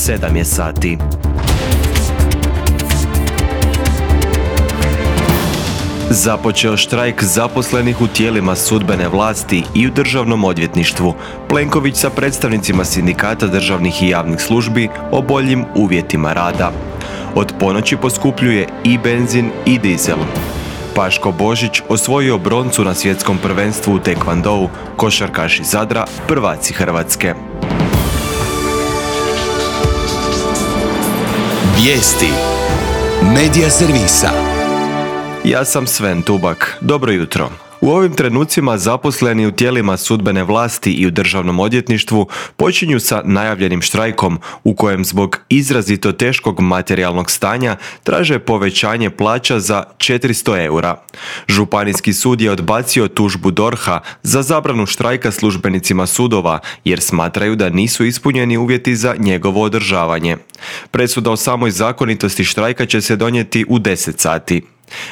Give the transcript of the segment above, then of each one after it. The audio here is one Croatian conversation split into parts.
7 je sati. Započeo štrajk zaposlenih u tijelima sudbene vlasti i u državnom odvjetništvu. Plenković sa predstavnicima sindikata državnih i javnih službi o boljim uvjetima rada. Od ponoći poskupljuje i benzin i dizel. Paško Božić osvojio broncu na svjetskom prvenstvu u tekvandou, košarkaši Zadra prvaci Hrvatske. Vijesti Medija servisa. Ja sam Sven Tubak. Dobro jutro. U ovim trenucima zaposleni u tijelima sudbene vlasti i u državnom odvjetništvu počinju sa najavljenim štrajkom u kojem zbog izrazito teškog materijalnog stanja traže povećanje plaća za 400 eura. Županijski sud je odbacio tužbu DORH-a za zabranu štrajka službenicima sudova jer smatraju da nisu ispunjeni uvjeti za njegovo održavanje. Presuda o samoj zakonitosti štrajka će se donijeti u 10 sati.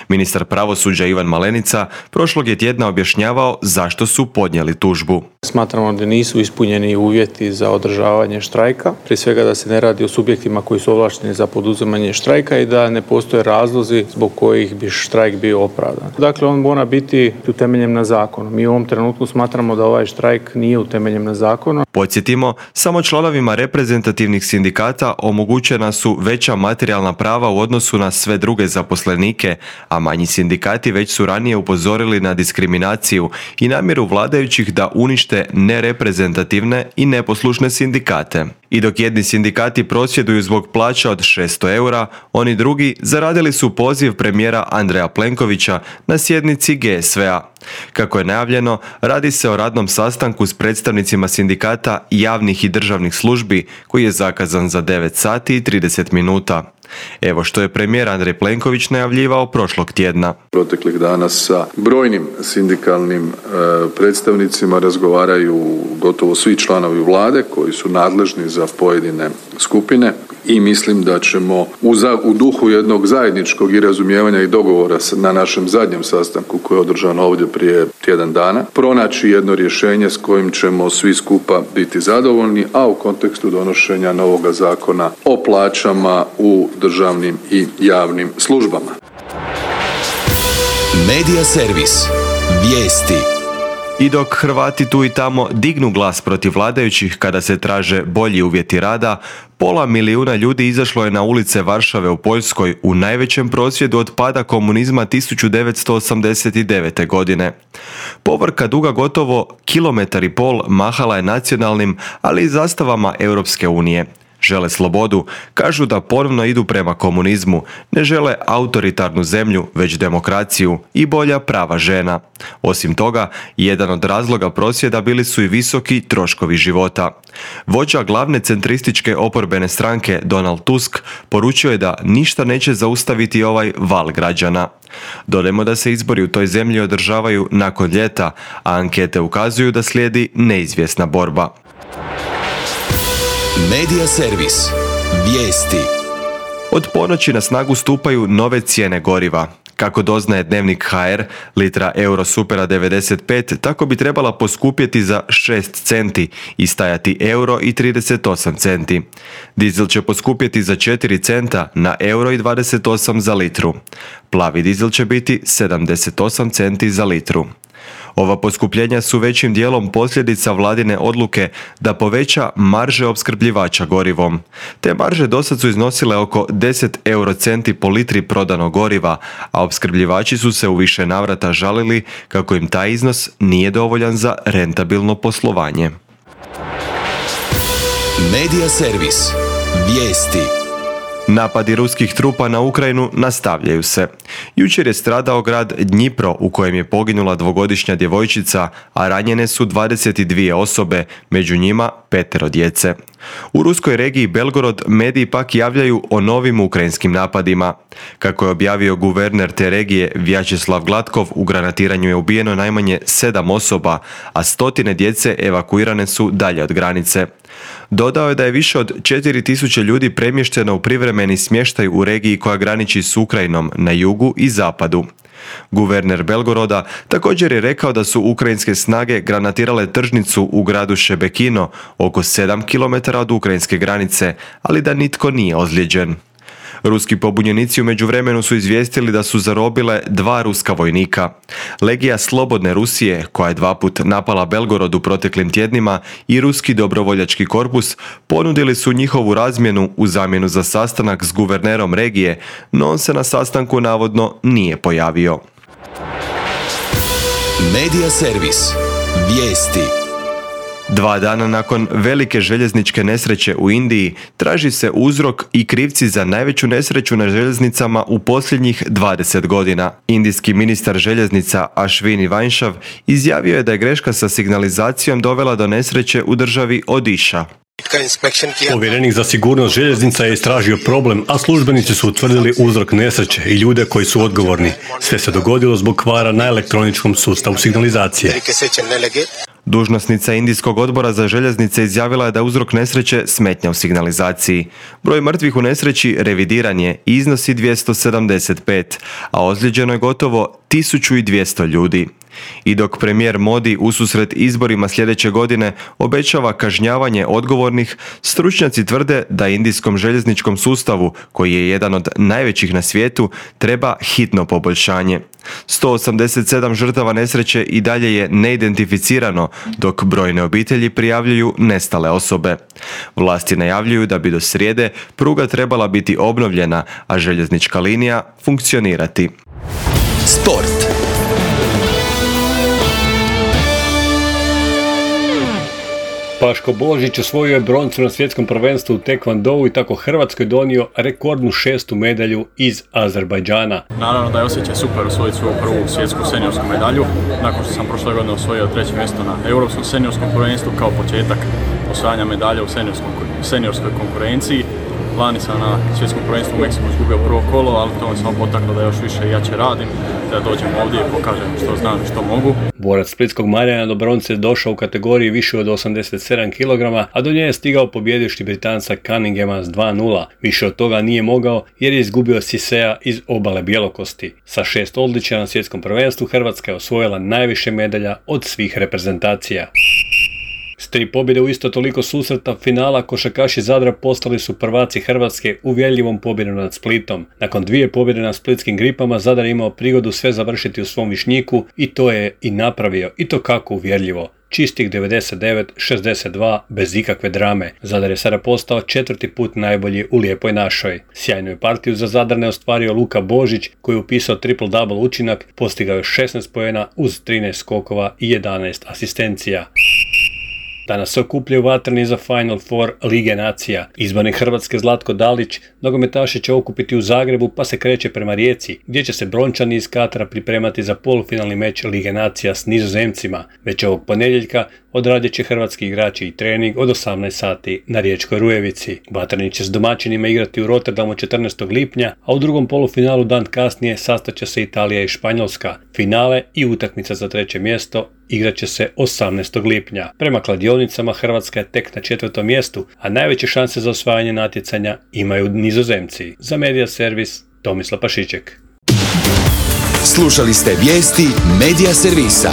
Ministar pravosuđa Ivan Malenica prošlog je tjedna objašnjavao zašto su podnijeli tužbu. Smatramo da nisu ispunjeni uvjeti za održavanje štrajka, prije svega da se ne radi o subjektima koji su ovlašteni za poduzimanje štrajka i da ne postoje razlozi zbog kojih bi štrajk bio opravdan. Dakle, on mora biti utemeljen na zakonu. Mi u ovom trenutku smatramo da ovaj štrajk nije utemeljen na zakonu. Podsjetimo, samo članovima reprezentativnih sindikata omogućena su veća materijalna prava u odnosu na sve druge zaposlenike, a manji sindikati već su ranije upozorili na diskriminaciju i namjeru vladajućih da unište nereprezentativne i neposlušne sindikate. I dok jedni sindikati prosvjeduju zbog plaća od 600 eura, oni drugi zaradili su poziv premijera Andreja Plenkovića na sjednici GSV-a. Kako je najavljeno, radi se o radnom sastanku s predstavnicima sindikata javnih i državnih službi koji je zakazan za 9 sati i 30 minuta. Evo što je premijer Andrej Plenković najavljivao prošlog tjedna. Proteklih dana sa brojnim sindikalnim predstavnicima razgovaraju gotovo svi članovi vlade koji su nadležni za pojedine skupine i mislim da ćemo u duhu jednog zajedničkog i razumijevanja i dogovora na našem zadnjem sastanku koji je održan ovdje prije tjedan dana pronaći jedno rješenje s kojim ćemo svi skupa biti zadovoljni, a u kontekstu donošenja novoga zakona o plaćama u državnim i javnim službama. Medija servis. Vijesti. I dok Hrvati tu i tamo dignu glas protiv vladajućih kada se traže bolji uvjeti rada, 500.000 ljudi izašlo je na ulice Varšave u Poljskoj u najvećem prosvjedu od pada komunizma 1989. godine. Povorka duga gotovo 1,5 kilometra mahala je nacionalnim, ali i zastavama Europske unije. Žele slobodu, kažu da ponovno idu prema komunizmu, ne žele autoritarnu zemlju, već demokraciju i bolja prava žena. Osim toga, jedan od razloga prosvjeda bili su i visoki troškovi života. Vođa glavne centrističke oporbene stranke Donald Tusk poručio je da ništa neće zaustaviti ovaj val građana. Dodajmo da se izbori u toj zemlji održavaju nakon ljeta, a ankete ukazuju da slijedi neizvjesna borba. Medija servis. Vijesti. Od ponoći na snagu stupaju nove cijene goriva. Kako doznaje Dnevnik HR, litra Eurosupera 95 tako bi trebala poskupjeti za 6 centi i stajati €1,38 centi. Dizel će poskupjeti za 4 centa na €1,28 za litru. Plavi dizel će biti 78 centi za litru. Ova poskupljenja su većim dijelom posljedica vladine odluke da poveća marže opskrbljivača gorivom. Te marže dosad su iznosile oko 10 eurocenti po litri prodanog goriva, a opskrbljivači su se u više navrata žalili kako im taj iznos nije dovoljan za rentabilno poslovanje. Medija servis. Vijesti. Napadi ruskih trupa na Ukrajinu nastavljaju se. Jučer je stradao grad Dnjipro u kojem je poginula 2-godišnja djevojčica, a ranjene su 22 osobe, među njima 5 djece. U ruskoj regiji Belgorod mediji pak javljaju o novim ukrajinskim napadima. Kako je objavio guverner te regije Vjačeslav Gladkov, u granatiranju je ubijeno najmanje 7 osoba, a stotine djece evakuirane su dalje od granice. Dodao je da je više od 4000 ljudi premješteno u privremeni smještaj u regiji koja graniči s Ukrajinom na jugu i zapadu. Guverner Belgoroda također je rekao da su ukrajinske snage granatirale tržnicu u gradu Šebekino, oko 7 km od ukrajinske granice, ali da nitko nije ozlijeđen. Ruski pobunjenici u međuvremenu su izvijestili da su zarobile 2 ruska vojnika. Legija Slobodne Rusije, koja je 2 puta napala Belgorod u proteklim tjednima, i Ruski dobrovoljački korpus ponudili su njihovu razmjenu u zamjenu za sastanak s guvernerom regije, no on se na sastanku navodno nije pojavio. Media servis. Vijesti. 2 dana nakon velike željezničke nesreće u Indiji traži se uzrok i krivci za najveću nesreću na željeznicama u posljednjih 20 godina. Indijski ministar željeznica Ashwini Vaishnav izjavio je da je greška sa signalizacijom dovela do nesreće u državi Odiša. Povjerenik za sigurnost željeznica je istražio problem, a službenici su utvrdili uzrok nesreće i ljude koji su odgovorni. Sve se dogodilo zbog kvara na elektroničkom sustavu signalizacije. Dužnosnica Indijskog odbora za željeznice izjavila je da uzrok nesreće smetnja u signalizaciji. Broj mrtvih u nesreći revidiran je i iznosi 275, a ozlijeđeno je gotovo 1200 ljudi. I dok premijer Modi ususret izborima sljedeće godine obećava kažnjavanje odgovornih, stručnjaci tvrde da indijskom željezničkom sustavu, koji je jedan od najvećih na svijetu, treba hitno poboljšanje. 187 žrtava nesreće i dalje je neidentificirano, dok brojne obitelji prijavljuju nestale osobe. Vlasti najavljuju da bi do srijede pruga trebala biti obnovljena, a željeznička linija funkcionirati. Sport. Paško Božić osvojio je broncu na svjetskom prvenstvu u tekvondou i tako Hrvatskoj donio rekordnu 6. medalju iz Azerbajdžana. Naravno da je osjećaj super osvojiti svoju prvu svjetsku seniorsku medalju, nakon što sam prošle godine osvojio 3. mjesto na Europskom seniorskom prvenstvu kao početak osvajanja medalje u seniorskoj konkurenciji. Lani sam na svjetskom prvenstvu u Meksiku izgubio prvo kolo, ali to me samo potaklo da još više i jače radim, da dođem ovdje i pokažem što znam i što mogu. Borac splitskog Marijana do bronce došao u kategoriji više od 87 kg, a do nje je stigao pobjedivši Britanca Cunninghama s 2:0. Više od toga nije mogao jer je izgubio Sisea iz Obale Bjelokosti. Sa 6 odličja na svjetskom prvenstvu Hrvatska je osvojila najviše medalja od svih reprezentacija. S 3 pobjede u isto toliko susreta finala košarkaši Zadra postali su prvaci Hrvatske uvjerljivom pobjedom nad Splitom. Nakon 2 pobjede na splitskim Gripama Zadar je imao prigodu sve završiti u svom Višnjiku i to je i napravio, i to kako uvjerljivo. Čistih 99-62 bez ikakve drame. Zadar je sada postao 4. put najbolji u Lijepoj našoj. Sjajnu je partiju za Zadar ne ostvario Luka Božić koji je upisao triple-double učinak, postigao je 16 poena uz 13 skokova i 11 asistencija. Danas se okupljaju vatreni za Final Four Lige nacija. Izbornik Hrvatske Zlatko Dalić nogometaše će okupiti u Zagrebu pa se kreće prema Rijeci, gdje će se Brončani iz Katara pripremati za polufinalni meč Lige nacija s Nizozemcima. Već ovog ponedjeljka odradit će hrvatski igrači i trening od 18 sati na Riječkoj Rujevici. Vatreni će s domaćinima igrati u Rotterdamu 14. lipnja, a u drugom polufinalu dan kasnije sastaće se Italija i Španjolska. Finale i utakmica za 3. mjesto igrat će se 18. lipnja. Prema kladionicama Hrvatska je tek na 4. mjestu, a najveće šanse za osvajanje natjecanja imaju Nizozemci. Za Media servis Tomislav Pašiček. Slušali ste vijesti Media servisa.